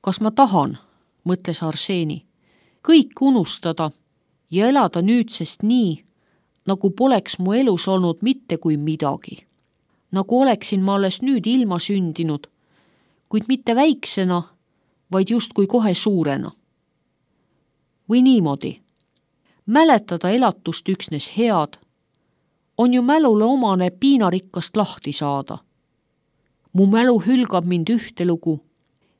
Kas ma tahan, mõtles Arseni, kõik unustada ja elada nüüdsest nii, nagu poleks mu elus olnud mitte kui midagi. Nagu oleksin ma alles nüüd ilma sündinud, kuid mitte väiksena, vaid justkui kohe suurena. Või niimoodi. Mäletada elatust üksnes head, on ju mälule omane piinarikkast lahti saada. Mu mälu hülgab mind ühte lugu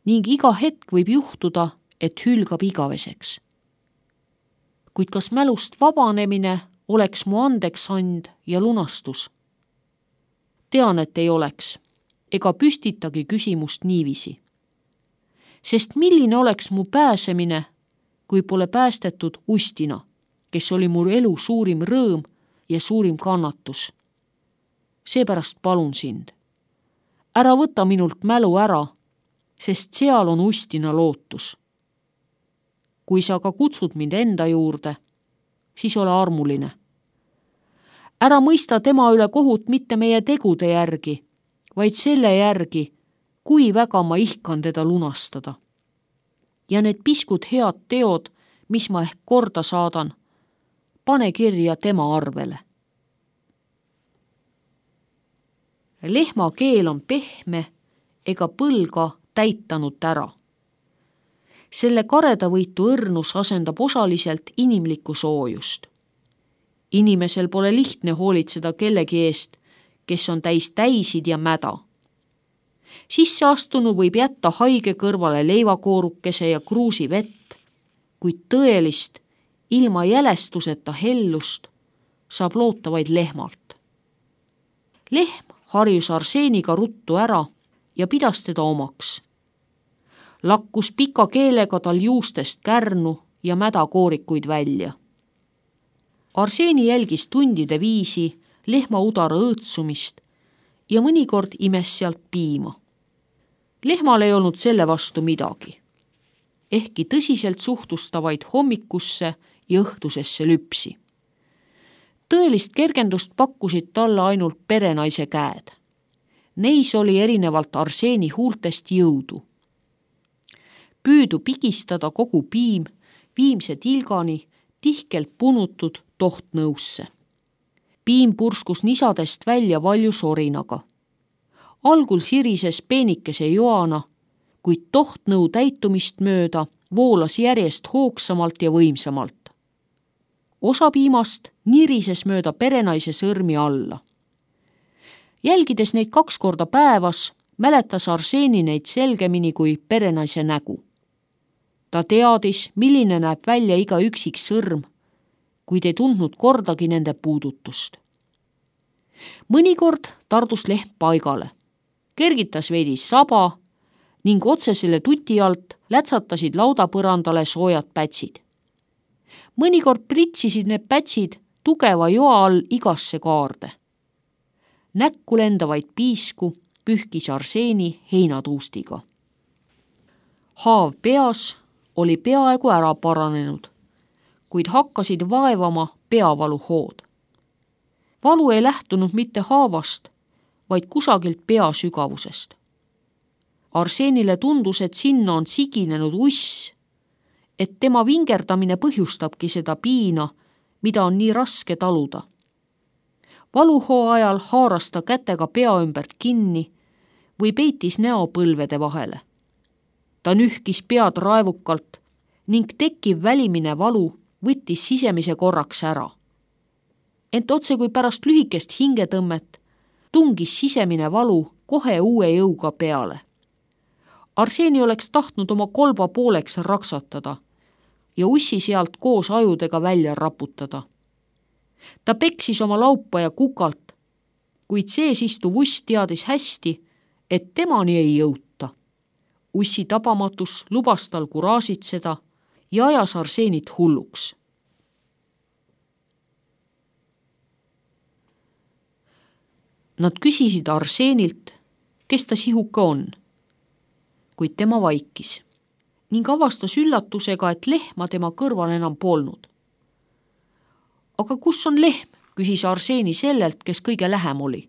ning iga hetk võib juhtuda, et hülgab igaveseks. Kuid kas mälust vabanemine oleks mu andeks and ja lunastus? Tean, et ei oleks, ega püstitagi küsimust niiviisi. Sest milline oleks mu pääsemine, kui pole päästetud Ustina, kes oli mu elu suurim rõõm ja suurim kannatus. Seepärast palun sind. Ära võta minult mälu ära, sest seal on Ustina lootus. Kui sa ka kutsud mind enda juurde, siis ole armuline. Ära mõista tema üle kohut mitte meie tegude järgi, vaid selle järgi, kui väga ma ihkan teda lunastada. Ja need piskud head teod, mis ma ehk korda saadan, pane kirja tema arvele. Lehma keel on pehme ega põlga täitanud ära. Selle karedavõitu õrnus asendab osaliselt inimlikku soojust. Inimesel pole lihtne hoolitseda kellegi eest, kes on täis täisid ja mäda. Sisseastunu võib jätta haige kõrvale leivakoorukese ja kruusi vett, kuid tõelist, ilma jälestuseta hellust saab loota vaid lehmalt. Lehm harjus Arseniga ruttu ära ja pidas teda omaks. Lakkus pika keelega tal juustest kärnu ja mädakoorikuid välja. Arseni jälgis tundide viisi lehma udara õõtsumist ja mõnikord imes sealt piima. Lehmal ei olnud selle vastu midagi. Ehkki tõsiselt suhtus ta vaid hommikusse ja õhtusesse lüpsi. Tõelist kergendust pakkusid talle ainult perenaise käed. Neis oli erinevalt Arseni huultest jõudu. Püüdu pigistada kogu piim viimse tilgani tihkelt punutud tohtnõusse. Piim purskus nisadest välja valju sorinaga. Algul sirises peenikese joana, kuid tohtnõu täitumist mööda voolas järjest hoogsamalt ja võimsamalt. Osa piimast nirises mööda perenaise sõrmi alla. Jälgides neid 2 korda päevas, mäletas Arseni neid selgemini kui perenaise nägu. Ta teadis, milline näeb välja iga üksik sõrm, kuid ei tundnud kordagi nende puudutust. Mõnikord tardus lehm paigale, kergitas veidi saba ning otsesele tuti alt lätsatasid laudapõrandale soojad pätsid. Mõnikord pritsisid need pätsid tugeva joa all igasse kaarde. Näkku lendavaid piisku pühkis Arseni heinatuustiga. Haav peas oli peaaegu ära paranenud, kuid hakkasid vaevama peavaluhood. Valu ei lähtunud mitte haavast, vaid kusagilt pea sügavusest. Arsenile tundus, et sinna on siginenud uss, et tema vingerdamine põhjustabki seda piina, mida on nii raske taluda. Valuhoo ajal haaras ta kätega pea ümbert kinni või peitis näo põlvede vahele. Ta nühkis pead raevukalt ning tekkiv välimine valu võttis sisemise korraks ära. Ent otse kui pärast lühikest hingetõmmet tungis sisemine valu kohe uue jõuga peale. Arseni oleks tahtnud oma kolba pooleks raksatada ja ussi sealt koos ajudega välja raputada. Ta peksis oma laupaja kukalt, kuid sees istuv uss teadis hästi, et temani ei jõuta. Ussi tabamatus lubas tal kuraasitseda ja ajas Arsenit hulluks. Nad küsisid Arsenilt, kes ta sihuke on, kuid tema vaikis ning avastas üllatusega, et lehma tema kõrval enam polnud. Aga kus on lehm, küsis Arseni sellelt, kes kõige lähem oli.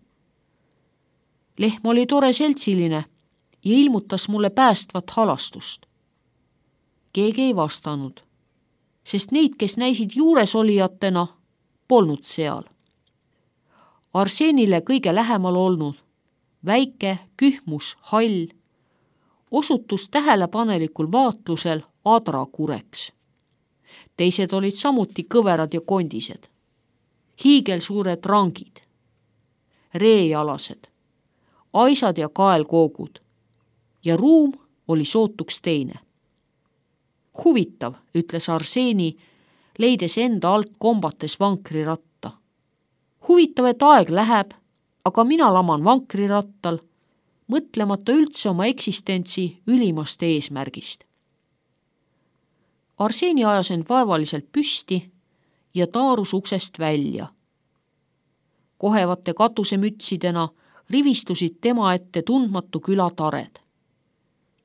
Lehm oli tore seltsiline ja ilmutas mulle päästvat halastust. Keegi ei vastanud, sest neid, kes näisid juuresolijatena, polnud seal. Arseenile kõige lähemal olnud, väike, kühmus, hall, osutus tähelepanelikul vaatlusel adrakureks. Teised olid samuti kõverad ja kondised, hiigelsuured rangid, reejalased, aisad ja kaelkoogud ja ruum oli sootuks teine. Huvitav, ütles Arseeni, leides enda alt kombates vankriratta. Huvitav, et aeg läheb, aga mina laman vankrirattal, mõtlemata üldse oma eksistentsi ülimast eesmärgist. Arseeni ajas end vaevaliselt püsti ja taarus uksest välja. Kohevate katusemütsidena rivistusid tema ette tundmatu küla tared.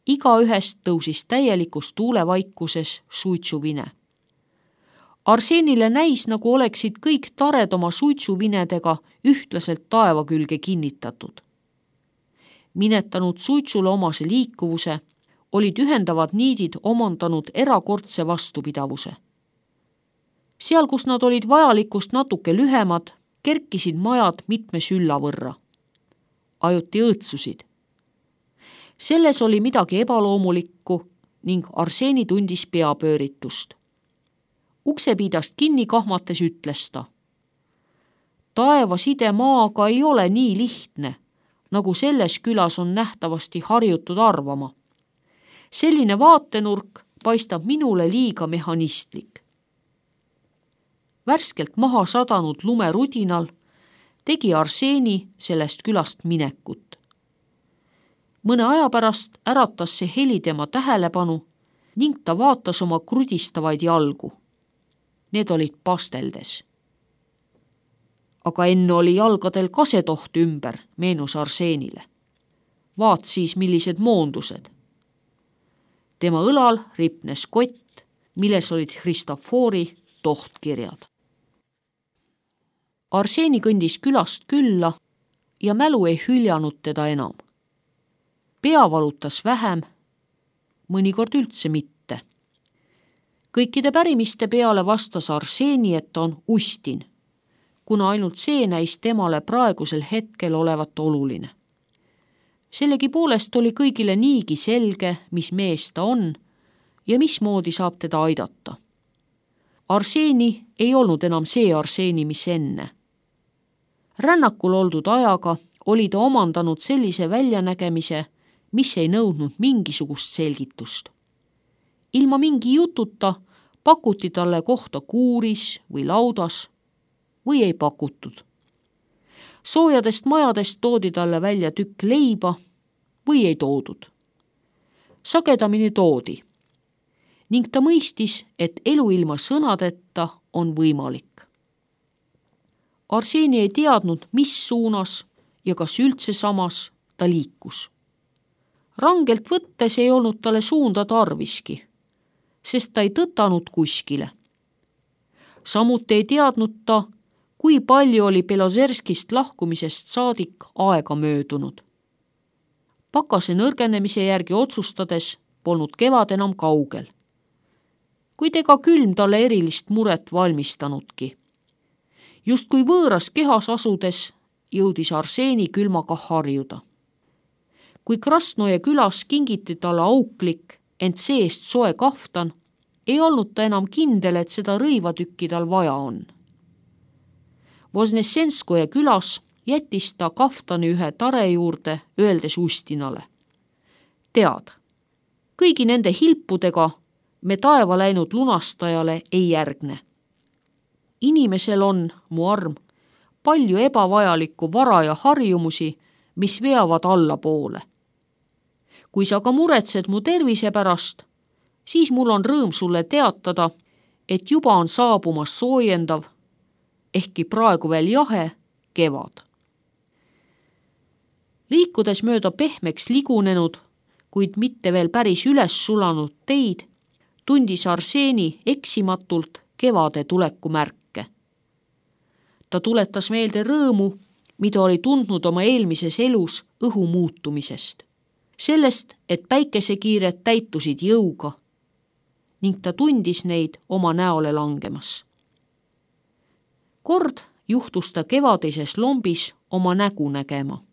Igaühest tõusis täielikus tuulevaikuses suitsuvine. Arseenile näis, nagu oleksid kõik tared oma suitsuvinedega ühtlaselt taeva külge kinnitatud. Minetanud suitsule omase liikuvuse, olid ühendavad niidid omandanud erakordse vastupidavuse. Seal, kus nad olid vajalikust natuke lühemad, kerkisid majad mitme sülla võrra. Ajuti õõtsusid. Selles oli midagi ebaloomulikku ning Arseeni tundis peapööritust. Uksepiidast kinni kahmates ütles ta. Taeva side maaga ei ole nii lihtne, nagu selles külas on nähtavasti harjutud arvama. Selline vaatenurk paistab minule liiga mehhanistlik. Värskelt maha sadanud lumerudinal tegi Arseeni sellest külast minekut. Mõne aja pärast äratas see heli tema tähelepanu ning ta vaatas oma krudistavaid jalgu. Need olid pasteldes. Aga enne oli jalgadel kasetoht ümber, meenus Arseenile. Vaat siis, millised moondused. Tema õlal ripnes kott, milles olid Christofori tohtkirjad. Arseeni kõndis külast külla ja mälu ei hüljanud teda enam. Pea valutas vähem, mõnikord üldse mitte. Kõikide pärimiste peale vastas Arseeni, et on Ustin, kuna ainult see näis temale praegusel hetkel olevat oluline. Sellegipoolest oli kõigile niigi selge, mis mees ta on ja mismoodi saab teda aidata. Arseeni ei olnud enam see Arseeni, mis enne. Rännakul oldud ajaga oli ta omandanud sellise väljanägemise, mis ei nõudnud mingisugust selgitust. Ilma mingi jututa pakuti talle kohta kuuris või laudas või ei pakutud. Soojadest majadest toodi talle välja tükk leiba või ei toodud. Sagedamini toodi ning ta mõistis, et elu ilma sõnadeta on võimalik. Arseeni ei teadnud, mis suunas ja kas üldse samas ta liikus. Rangelt võttes ei olnud talle suunda tarviski, sest ta ei tõtanud kuskile. Samuti ei teadnud ta, kui palju oli Belozerskist lahkumisest saadik aega möödunud. Pakase nõrgenemise järgi otsustades polnud kevad enam kaugel, kuid ega külm talle erilist muret valmistanudki. Just kui võõras kehas asudes jõudis Arseeni külmaga harjuda. Kui Krasnoje külas kingiti talle auklik, ent seest soe kaftan, ei olnud ta enam kindel, et seda rõivatükki tal vaja on. Voznesenskoje külas jättis ta kaftani ühe tare juurde, öeldes Ustinale. Tead, kõigi nende hilpudega me taeva läinud lunastajale ei järgne. Inimesel on, mu arm, palju ebavajalikku vara ja harjumusi, mis veavad allapoole. Kui sa ka muretsed mu tervise pärast, siis mul on rõõm sulle teatada, et juba on saabumas soojendav, ehkki praegu veel jahe, kevad. Liikudes mööda pehmeks ligunenud, kuid mitte veel päris üles sulanud teid, tundis Arseeni eksimatult kevade tuleku märke. Ta tuletas meelde rõõmu, mida oli tundnud oma eelmises elus õhu muutumisest. Sellest, et päikesekiired täitusid jõuga ning ta tundis neid oma näole langemas. Kord juhtus ta kevadises lombis oma nägu nägema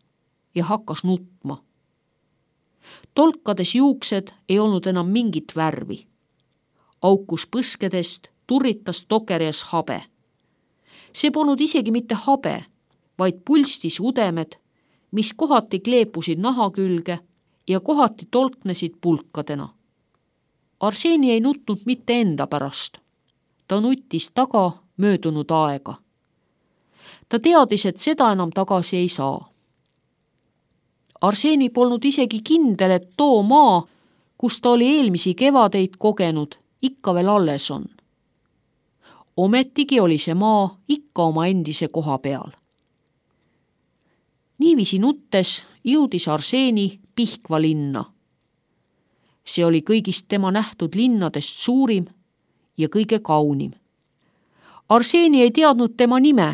ja hakkas nutma. Tolkades juuksed ei olnud enam mingit värvi. Aukus põskedest turritas tokerjas habe. See polnud isegi mitte habe, vaid pulstis udemed, mis kohati kleepusid naha külge ja kohati tolknesid pulkadena. Arseni ei nutnud mitte enda pärast. Ta nuttis taga möödunud aega. Ta teadis, et seda enam tagasi ei saa. Arseni polnud isegi kindel, et too maa, kus ta oli eelmisi kevadeid kogenud, ikka veel alles on. Ometigi oli see maa ikka oma endise koha peal. Niiviisi nuttes jõudis Arseni Pihkva linna. See oli kõigist tema nähtud linnadest suurim ja kõige kaunim. Arseni ei teadnud tema nime,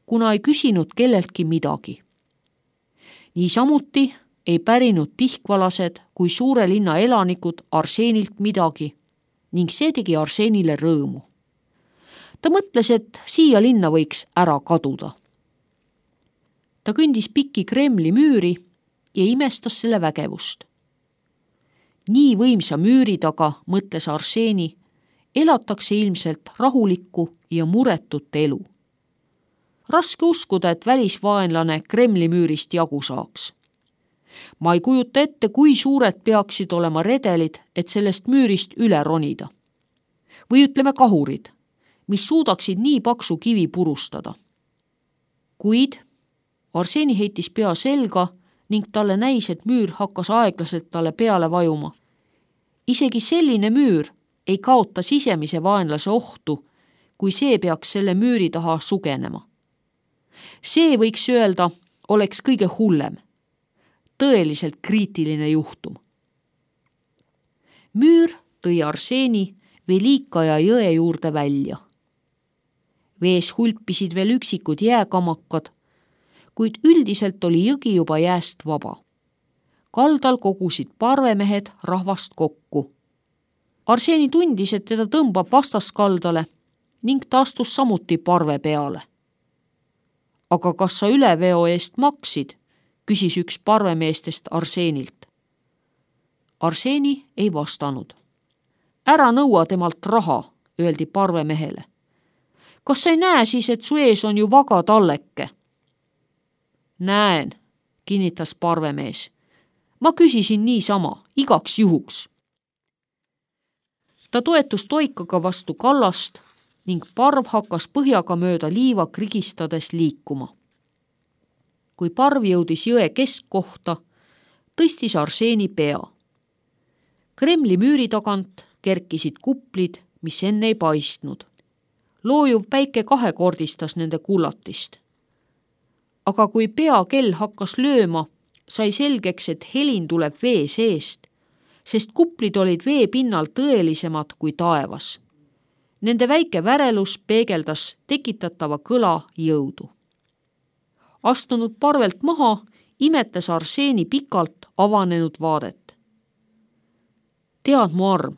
kuna ei küsinud kelleltki midagi. Niisamuti ei pärinud pihkvalased kui suure linna elanikud Arsenilt midagi ning see tegi Arsenile rõõmu. Ta mõtles, et siia linna võiks ära kaduda. Ta kõndis pikki Kremli müüri ja imestas selle vägevust. Nii võimsa müüri taga, mõtles Arseni, elatakse ilmselt rahulikku ja muretut elu. Raske uskuda, et välisvaenlane Kremli müürist jagu saaks. Ma ei kujuta ette, kui suured peaksid olema redelid, et sellest müürist üle ronida. Või ütleme kahurid, mis suudaksid nii paksu kivi purustada. Kuid Arseni heitis pea selga ning talle näis, et müür hakkas aeglaselt talle peale vajuma. Isegi selline müür ei kaota sisemise vaenlase ohtu, kui see peaks selle müüri taha sugenema. See, võiks öelda, oleks kõige hullem. Tõeliselt kriitiline juhtum. Müür tõi Arseni Velikaja jõe juurde välja. Vees hulpisid veel üksikud jääkamakad, kuid üldiselt oli jõgi juba jääst vaba. Kaldal kogusid parvemehed rahvast kokku. Arseni tundis, et teda tõmbab vastaskaldale ning ta astus samuti parve peale. Aga kas sa üleveo eest maksid, küsis üks parvemeestest Arsenilt. Arseni ei vastanud. Ära nõua temalt raha, öeldi parvemehele. Kas sa ei näe siis, et su ees on ju vaga talleke? Näen, kinnitas parvemees. Ma küsisin niisama, igaks juhuks. Ta toetus toikaga vastu kallast ning parv hakkas põhjaga mööda liiva krigistades liikuma. Kui parv jõudis jõe keskkohta, tõstis Arseni pea. Kremli müüri tagant kerkisid kuplid, mis enne ei paistnud. Loojuv päike kahekordistas nende kullatist. Aga kui peakell hakkas lööma, sai selgeks, et helin tuleb vee seest, sest kuplid olid vee pinnal tõelisemad kui taevas. Nende väike värelus peegeldas tekitatava kõla jõudu. Astunud parvelt maha, imetas Arseni pikalt avanenud vaadet. Tead mu arm,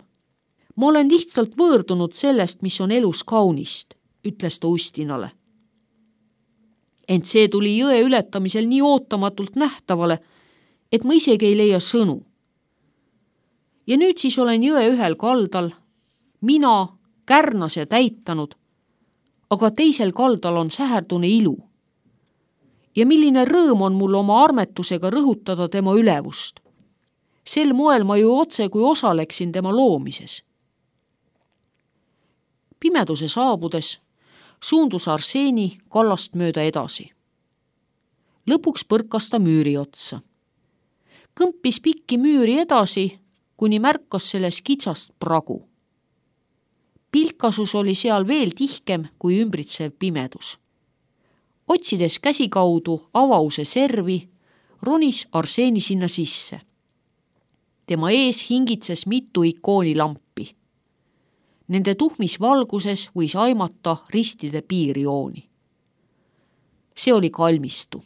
ma olen lihtsalt võõrdunud sellest, mis on elus kaunist, ütles ta Ustinale. Ent see tuli jõe ületamisel nii ootamatult nähtavale, et ma isegi ei leia sõnu. Ja nüüd siis olen jõe ühel kaldal, mina kärnas ja täitanud, aga teisel kaldal on säherdune ilu. Ja milline rõõm on mul oma armetusega rõhutada tema ülevust. Sel moel ma ju otse kui osaleksin tema loomises. Pimeduse saabudes suundus Arseni kallast mööda edasi. Lõpuks põrkas ta müüri otsa. Kõmpis pikki müüri edasi, kuni märkas selles kitsast pragu. Pilkasus oli seal veel tihkem kui ümbritsev pimedus. Otsides käsikaudu avause servi, ronis Arseni sinna sisse. Tema ees hingitses mitu ikoonilampi. Nende tuhmis valguses võis aimata ristide piirjooni. See oli kalmistu.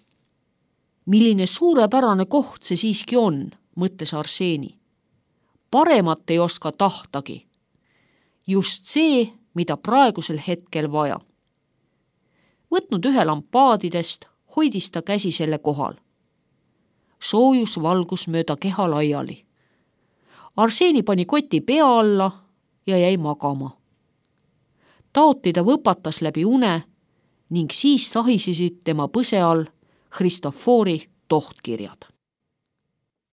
Milline suurepärane koht see siiski on, mõtles Arseni. Paremat ei oska tahtagi. just see, mida praegusel hetkel vaja. Võtnud ühe lampaadidest, hoidis ta käsi selle kohal. Soojus valgus mööda keha laiali. Arseni pani koti pea alla ja jäi magama. Taoti ta võpatas läbi une ning siis sahisesid tema põse all Christofori tohtkirjad.